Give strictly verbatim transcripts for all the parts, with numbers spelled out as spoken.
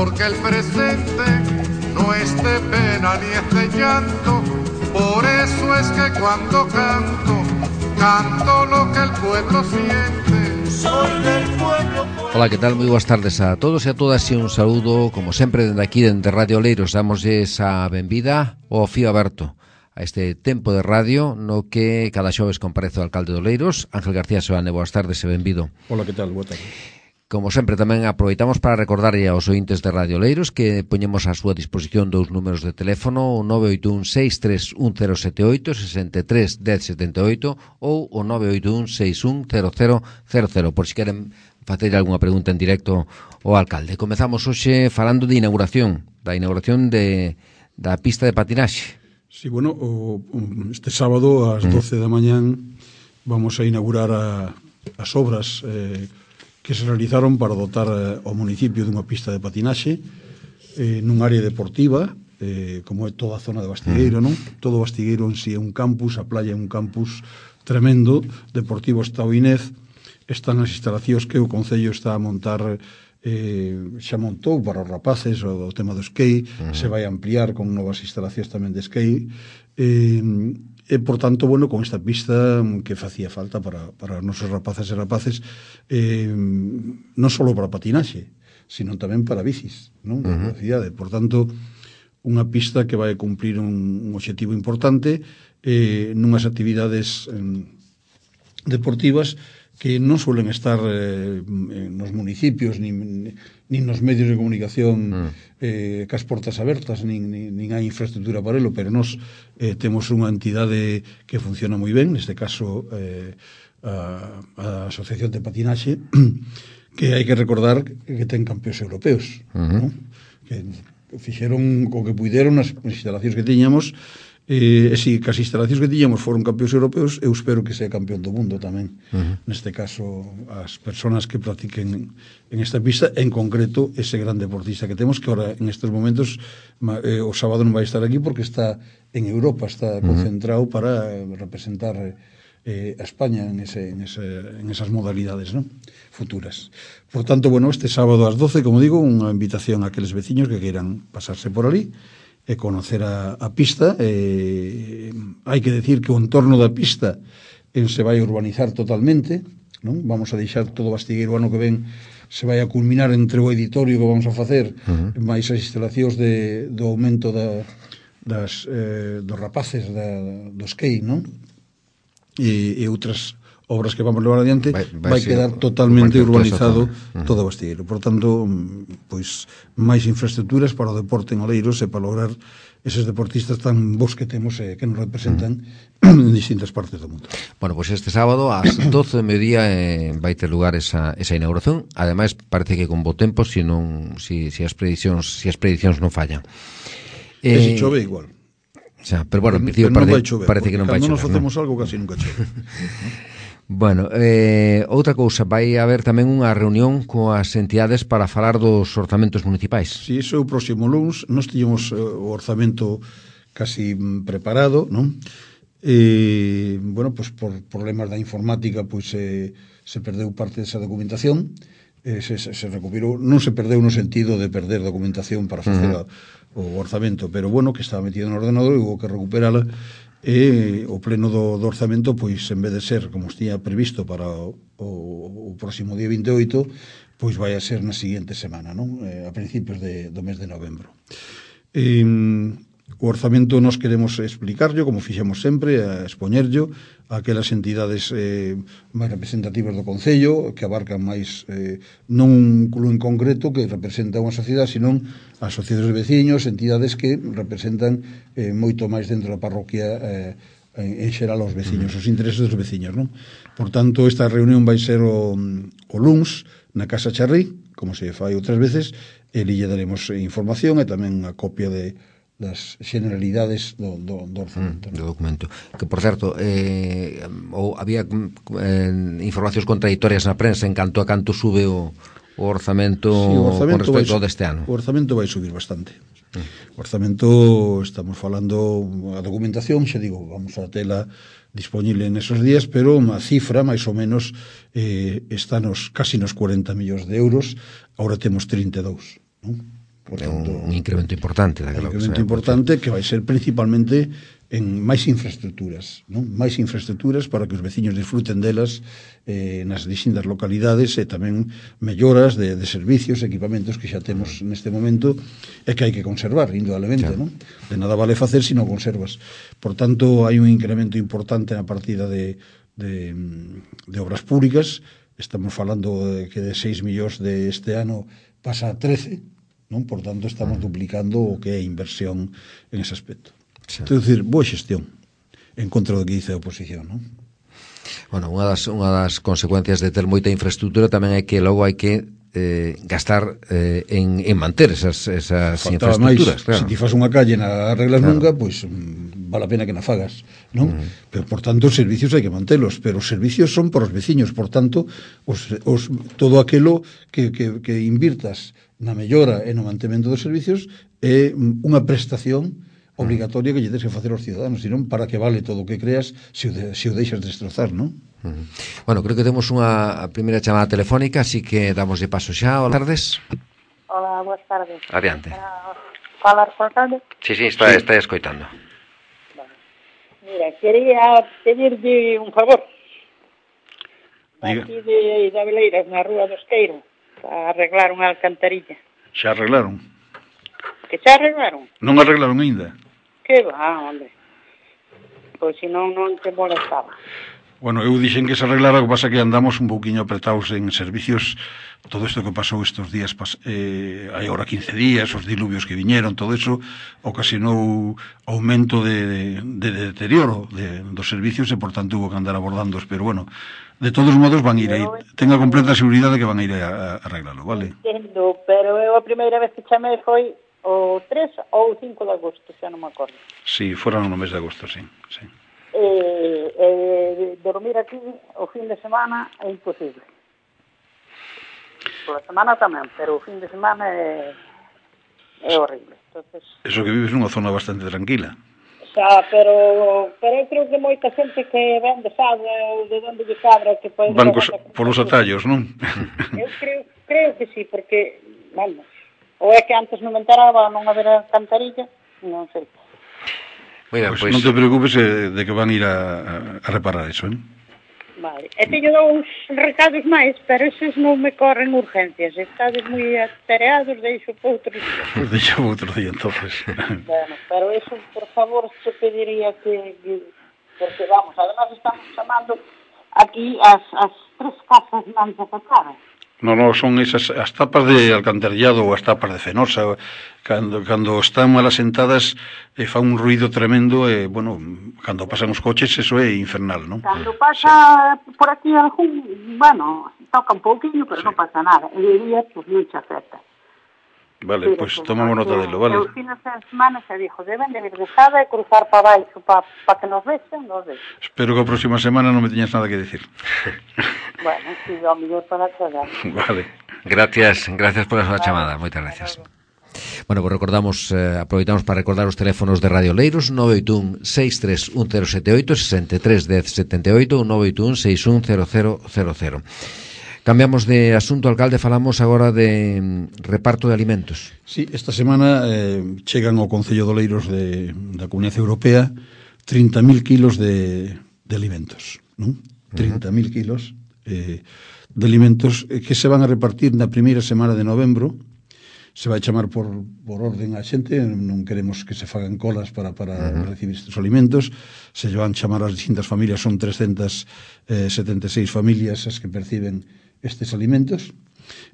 porque el presente no es de pena ni es de llanto. Por eso es que cuando canto, canto lo que el pueblo siente. Soy del pueblo. Hola, que tal? Moi boas tardes a todos e a todas e un saúdo, como sempre, dende aquí, dende Radio Oleiros. Damosles a benvida ao fío aberto a este tempo de radio no que cada xoves comparece o alcalde de Oleiros, Ángel García Soane. Boas tardes e benvido. Hola, que tal? Boa tarde. Como sempre, tamén aproveitamos para recordarlle aos ointes de Radio Oleiros que poñemos a súa disposición dous números de teléfono, o nove oito un seis tres un cero sete oito, sesenta e tres dez setenta e oito ou o nove oito un seis un cero cero cero cero, por si queren facer algunha pregunta en directo ao alcalde. Comezamos hoxe falando de inauguración, da inauguración de, da pista de patinaxe. Sí, bueno, o, este sábado ás doce da mañán vamos a inaugurar a, as obras eh, que se realizaron para dotar eh, ao municipio dunha pista de patinaxe eh, nun área deportiva, eh, como é toda a zona de Bastigueiro, non? Todo Bastigueiro en si é un campus, a playa é un campus tremendo, Deportivo Estao Inés. Están as instalacións que o Concello está a montar, eh, xa montou para os rapaces, o, o tema do skate, uh-huh. Se vai ampliar con novas instalacións tamén de skate, eh, e, por tanto, bueno, con esta pista que facía falta para, para os nosos rapaces e rapaces, eh, non só para patinaxe, sino tamén para bicis, non? De uh-huh. velocidade. Por tanto, unha pista que vai cumplir un, un objetivo importante eh, nunhas actividades eh, deportivas que non suelen estar eh, nos municipios nin, nin nos medios de comunicación mm. eh, cas portas abertas, nin, nin, nin hai infraestructura para elo, pero nos eh, temos unha entidade que funciona moi ben, neste caso eh, a, a Asociación de Patinaxe, que hai que recordar que ten campeóns europeos, mm-hmm. ¿no? Que fixeron o que puideron nas instalacións que tiñamos. E, e si, que as instalacións que tiñamos foron campeóns europeos, eu espero que sea campeón do mundo tamén. Uh-huh. Neste caso, as persoas que practiquen en esta pista, en concreto, ese gran deportista que temos, que ahora, en estes momentos, eh, o sábado non vai estar aquí porque está en Europa, está concentrado uh-huh. para representar eh, a España en, ese, en, ese, en esas modalidades, ¿no? Futuras. Por tanto, bueno, este sábado ás doce, como digo, unha invitación a aqueles veciños que queiran pasarse por ali e conocer a, a pista. Eh, hai que decir que o entorno da pista eh, se vai urbanizar totalmente, non? Vamos a deixar todo Bastigueiro ano que ven, se vai a culminar entre o editorio que vamos a facer, uh-huh. máis as instalacións de, do aumento da, das, eh, dos rapaces da, do skate, non? E, e outras obras que vamos levar adiante, vai, vai, vai quedar totalmente urbanizado uh-huh. todo Bastigueiro. Por tanto, pois máis infraestructuras para o deporte en Oleiros e para lograr eses deportistas tan bons que temos e que nos representan uh-huh. en distintas partes do mundo. Bueno, pois este sábado ás doce do mediodía eh, vai ter lugar esa, esa inauguración. Ademais, parece que con bo tempo, se non, si, si as predicións, si as predicións non fallan. Eh, e se chove igual. O sea, pero bueno, en principio parece, non chover, parece que non vai chover. Cando nos facemos algo casi nunca chove. Bueno, eh, outra cousa, vai haber tamén unha reunión coas entidades para falar dos orzamentos municipais. Si, sí, iso é o próximo luns. Nós tiñamos uh, o orzamento casi preparado, non? E, bueno, pues por problemas da informática, pois pues, eh, se perdeu parte desa documentación, eh, se, se, se recuperou, non se perdeu no sentido de perder documentación para facer uh-huh. a, o orzamento, pero bueno, que estaba metido no ordenador e hubo que recuperala. E o pleno do, do orzamento, pois en vez de ser como estiña previsto para o, o, o próximo día vinte e oito, pois vai a ser na seguinte semana, non? Eh, a principios de, do mes de novembro. E, o orzamento nos queremos explicarlo, como fixemos sempre, a expoñerlo a aquelas entidades eh, máis representativas do Concello, que abarcan máis, eh, non un club en concreto que representa unha sociedade, senón asociacións de veciños, entidades que representan eh, moito máis dentro da parroquia eh, en, en xeral aos veciños, os intereses dos veciños, non? Por tanto, esta reunión vai ser o, o luns na Casa Charrí, como se fai outras veces, e lle daremos información e tamén a copia de das generalidades do, do, do orzamento. Mm, do documento. Que, por certo, eh, ou había eh, informacións contradictorias na prensa en canto a canto sube o, o orzamento, sí, o orzamento con respecto ao deste ano. O orzamento vai subir bastante. Mm. O orzamento, estamos falando, a documentación, xa digo, vamos a tela disponible nesos días, pero a cifra, máis ou menos, eh, está nos, casi nos cuarenta millóns de euros, agora temos trinta e dous, non? Por tanto, un incremento importante daquela, un incremento importante que vai ser principalmente en máis infraestructuras, non? Máis infraestructuras para que os veciños disfruten delas eh, nas distintas localidades e tamén melloras de, de servicios, equipamentos que xa temos neste momento e que hai que conservar, indudablemente, non? De nada vale facer se non conservas. Por tanto, hai un incremento importante na partida de, de, de obras públicas. Estamos falando de que de seis millóns de este ano pasa a trece, non? Por tanto, estamos duplicando o que é inversión en ese aspecto. Sí. É dicir, boa xestión en contra do que dice a oposición, non? Bueno, unha das, unha das consecuencias de ter moita infraestructura tamén é que logo hai que eh, gastar eh, en, en manter esas, esas infraestructuras. Máis, claro. Se ti fas unha calle na arreglas claro. nunca, pois pues, vale a pena que na fagas, non? Uh-huh. Pero, por tanto, os servicios hai que mantelos, pero os servicios son para os veciños, por tanto, os, os, todo aquilo que, que, que invirtas na mellora e no mantemento dos servicios é unha prestación obligatoria que lle tens que facer aos ciudadanos, senón para que vale todo o que creas se o, de, se o deixas destrozar, non? Uh-huh. Bueno, creo que temos unha primeira chamada telefónica, así que damos de paso xa. Hola, tardes. Hola, boas tardes. Adiante. Para falar con Carlos? Sí, sí, está, sí. está escoitando. Bueno. Mira, quería pedirlle un favor. Diga. Aquí de, de Abeleiras, na Rúa do Esqueiro, para arreglar unha alcantarilla. Xa arreglaron? Que xa arreglaron? Non arreglaron aínda? Que va, hombre. Pois se non, non te molestaba. Bueno, eu dixen que se arreglara, o que pasa que andamos un pouquiño apretados en servicios. Todo isto que pasou estes días, eh, hai agora quince días, os diluvios que viñeron, todo eso ocasionou aumento de, de, de deterioro de, dos servicios e, por tanto, hubo que andar abordándoos. Pero, bueno, de todos modos van a ir aí. Tenga completa seguridade que van a ir a, a arreglalo, vale? Entendo, pero eu a primeira vez que chamei foi o tres ou o cinco de agosto, xa non me acordo. Sí, foran no mes de agosto, sí, sí. Eh, eh, dormir aquí o fin de semana é imposible. Por la semana tamén, pero o fin de semana é, é horrible. Entonces, eso que vives nunha zona bastante tranquila. Xa, pero, pero eu creo que moita xente que ven de Sada ou de onde lle cabra que pode... Van cos, por os atallos, non? Eu creo, creo que sí, porque, vamos, ou é que antes non me enteraba non haber alcantarilla, non sei. Mira, pues, pues... non te preocupes eh, de que van a ir a, a reparar eso, eh? Vale. E teño dous recados máis, pero eses non me corren urgencias. Estades moi atareados, deixo por outro día. Pues deixo por outro día, entonces. Bueno, pero eso, por favor, se pediría que... que porque, vamos, además estamos chamando aquí as, as tres casas máis afectadas. No, no, son esas as tapas de alcantarillado ou as tapas de fenosa, cando, cando están mal asentadas e eh, fan un ruido tremendo e, eh, bueno, cando pasan os coches eso é infernal, non? Cando pasa sí. por aquí algún, bueno, toca un pouquinho, pero sí. non pasa nada. E diría, pues, non che afecta. Vale, pois pues, tomamos nota delo, vale? Os fines de semana se dixo, deben de vir de Sada e cruzar para baixo para pa que nos vexen, nos vexen. Espero que a próxima semana non me teñas nada que decir. Bueno, si, ao mellor para aclarar. Vale. Gracias, gracias por a súa chamada, moitas gracias. Bueno, pues recordamos, eh, aproveitamos para recordar os teléfonos de Radio Leiros, nove oito un seis tres un cero sete oito, sesenta e tres dez setenta e oito, nove oito un seis un cero cero cero cero. Cambiamos de asunto, alcalde, falamos agora de mm, reparto de alimentos. Sí, esta semana eh, chegan ao Concello de Oleiros de, da Comunidade Europea trinta mil kilos de, de alimentos, non? trinta mil kilos eh, de alimentos que se van a repartir na primeira semana de novembro. Se vai chamar por, por orden a xente, non queremos que se fagan colas para, para uh-huh. recibir estes alimentos. Se van chamar as distintas familias, son trescentas setenta e seis familias as que perciben estes alimentos,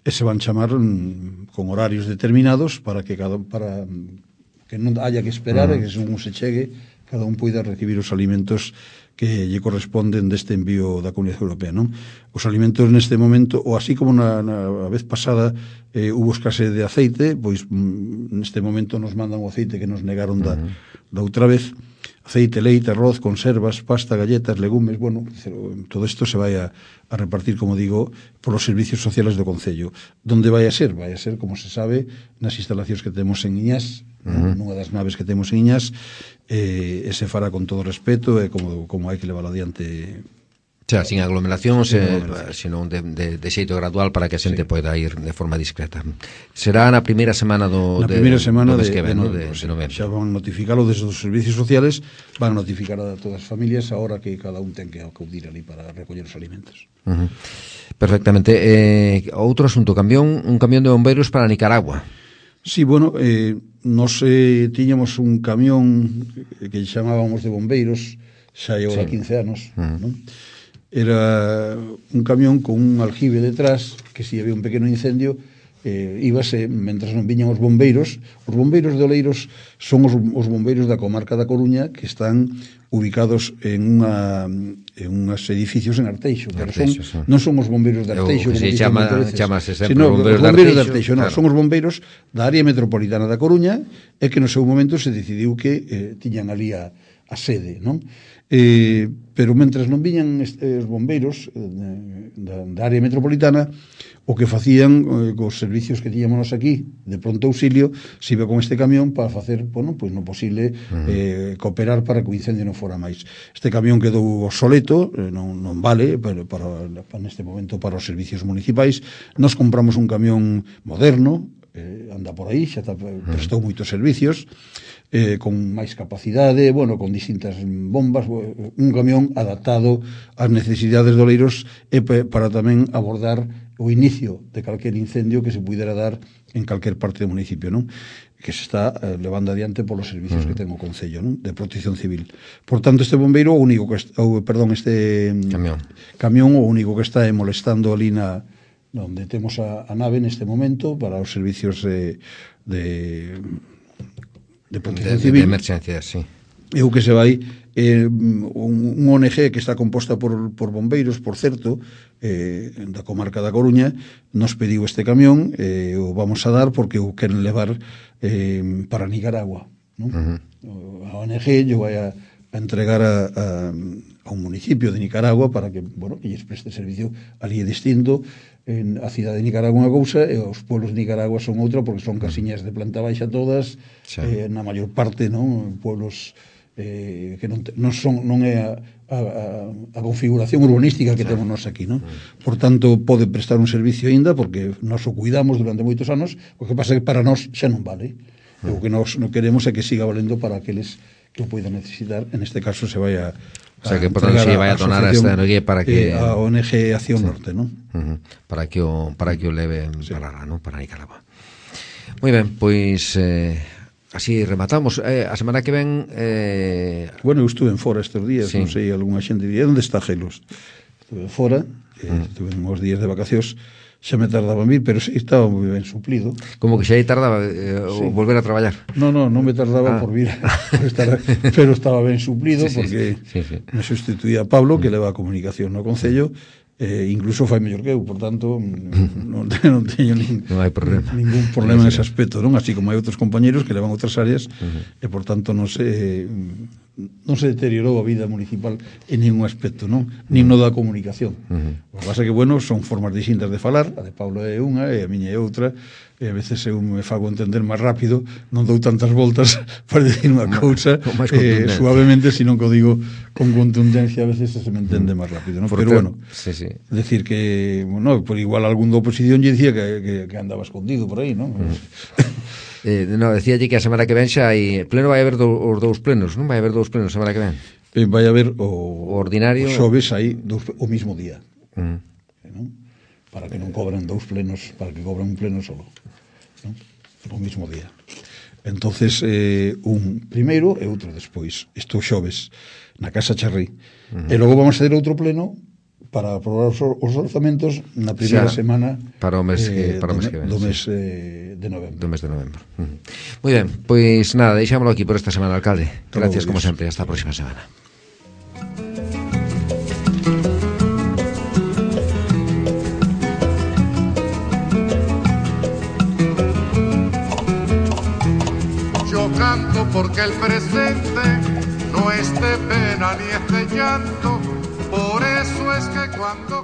e se van chamar mm, con horarios determinados para que cada para que non haya que esperar, uh-huh. e que según se chegue cada un poida recibir os alimentos que lle corresponden deste envío da Comunidade Europea, non? Os alimentos neste momento, ou así como na, na vez pasada eh, hubo escasez de aceite, pois mm, neste momento nos mandan o aceite que nos negaron da, uh-huh. da outra vez. Aceite, leite, arroz, conservas, pasta, galletas, legumes, bueno, todo isto se vai a, a repartir, como digo, por os servicios sociales do Concello. Donde vai a ser? Vai a ser, como se sabe, nas instalacións que temos en Iñás, uh-huh. nunha das naves que temos en Iñás, eh, e se fará con todo respeto e como, como hai que levar adiante Xa, sin aglomeracións, eh, senón de, de, de xeito gradual para que a xente sí. poida ir de forma discreta. Será na primeira semana do na primeira de, semana do de, que ven, de, de, de, de novembro. Xa van notificalo desde os servicios sociales, van a notificar a todas as familias a hora que cada un ten que acudir ali para recoller os alimentos. Uh -huh. Perfectamente. Eh, outro asunto, camión, un camión de bombeiros para Nicaragua. Sí, bueno, eh, nos eh, tiñamos un camión que chamábamos de bombeiros, xa lleva sí. quince anos, uh -huh. non? Era un camión con un aljibe detrás que si había un pequeno incendio eh, íbase, mentras non viñan os bombeiros. Os bombeiros de Oleiros son os, os bombeiros da comarca da Coruña, que están ubicados en unha en unhas edificios en Arteixo, pero son, sí. non son os bombeiros de Arteixo, como si chama, chamase sempre sino bombeiros, os bombeiros de Arteixo, Arteixo, claro. Non, son os bombeiros da área metropolitana da Coruña, e que no seu momento se decidiu que eh, tiñan ali a, a sede, non? Eh, pero mentras non viñan os bombeiros eh, da, da área metropolitana, o que facían eh, cos servicios que tiñamos aquí de pronto auxilio, se iba con este camión para facer, bueno, pois no posible eh, cooperar para que o incendio non fora máis. Este camión quedou obsoleto, eh, non, non vale pero para, para neste momento para os servicios municipais. Nos compramos un camión moderno, eh, anda por aí, xa prestou moitos servicios, eh, con máis capacidade, bueno, con distintas bombas, un camión adaptado ás necesidades de Oleiros e para tamén abordar o inicio de calquer incendio que se pudera dar en calquer parte do municipio, non? Que se está eh, levando adiante polos servicios uh -huh. que ten o Concello, non? De protección civil. Por tanto, este bombeiro, o único que está, o, perdón, este camión. camión o único que está é molestando ali na onde temos a, a nave neste momento para os servicios de de de protección de, civil. De emergencia, sí. E o que se vai eh, un, un O N G que está composta por, por bombeiros, por certo, eh, da comarca da Coruña, nos pediu este camión, eh, o vamos a dar porque o queren levar eh, para Nicaragua, non? Uh -huh. A O N G yo vai a, a entregar a, a, a un municipio de Nicaragua para que, bueno, que lles preste servicio ali é distinto. En a cidade de Nicaragua unha cousa e os pueblos de Nicaragua son outra, porque son casiñas de planta baixa todas, sí. eh, na maior parte, non, pueblos eh, que non, te, non son non é a, a, a configuración urbanística que sí. temos nós aquí, non? Por tanto, pode prestar un servicio aínda porque nós o cuidamos durante moitos anos, o que pasa é que para nós xa non vale. Sí. O que nós non queremos é que siga valendo para aqueles que o poidan necesitar. En este caso se vai a O sea, que por tanto se vai a donar a esta energía para que... Eh, a O N G Acción sí. Norte, non? Uh -huh. Para que o, para que o leve sí. para lá, non? Para Nicaragua. Moi ben, pois... Eh, así rematamos. Eh, a semana que ven... Eh... Bueno, eu estuve en fora estes días, sí. non sei, algunha xente diría, onde está Gelos? Estuve fora, eh, uh -huh. estuve uns días de vacacións, xa me tardaba en vir, pero sí, estaba moi ben suplido. Como que xa aí tardaba eh, sí. o volver a traballar? No, no, non me tardaba ah. por vir, por estar, pero estaba ben suplido, sí, sí, porque sí, sí. me sustituía a Pablo, que leva a comunicación no Concello, eh, incluso fai mellor que eu, por tanto non, non teño nin, non hai problema. ningún problema sí, sí. nese aspecto, non? Así como hai outros compañeros que levan outras áreas uh -huh. e por tanto non se non se deteriorou a vida municipal en ningún aspecto, non? Nin no da comunicación. Uh -huh. O que pasa é que, bueno, son formas distintas de falar, a de Pablo é unha e a miña é outra, e a veces eu me fago entender máis rápido, non dou tantas voltas para decir unha cousa eh, suavemente, sino que o digo con contundencia, a veces se me entende máis rápido, non? Pero bueno, sí, sí. decir que, bueno, por igual algún da oposición lle dicía que, que, que andaba escondido por aí, non? Uh -huh. Eh, no, decía que a semana que ven xa hai pleno, vai haber do, os dous plenos, non vai haber dous plenos a semana que ven? Eh, vai haber o, o ordinario, o xoves aí dous, o mismo día. Uh -huh. eh, non? Para que non cobren dous plenos, para que cobren un pleno solo, non? O mismo día. Entonces, eh, un primeiro e outro despois. Isto xoves na Casa Charrí. Uh -huh. E logo vamos a ter outro pleno para aprobar os, os orzamentos na primeira xa, semana para o mes, eh, para o mes do, que ven, do mes sí. eh, de novembro. Do mes de novembro. Uh -huh. Moi ben, pois nada, deixámoslo aquí por esta semana, alcalde. Gracias como sempre, hasta a próxima semana. Yo canto porque el presente no es de pena ni es de llanto. Por eso es que cuando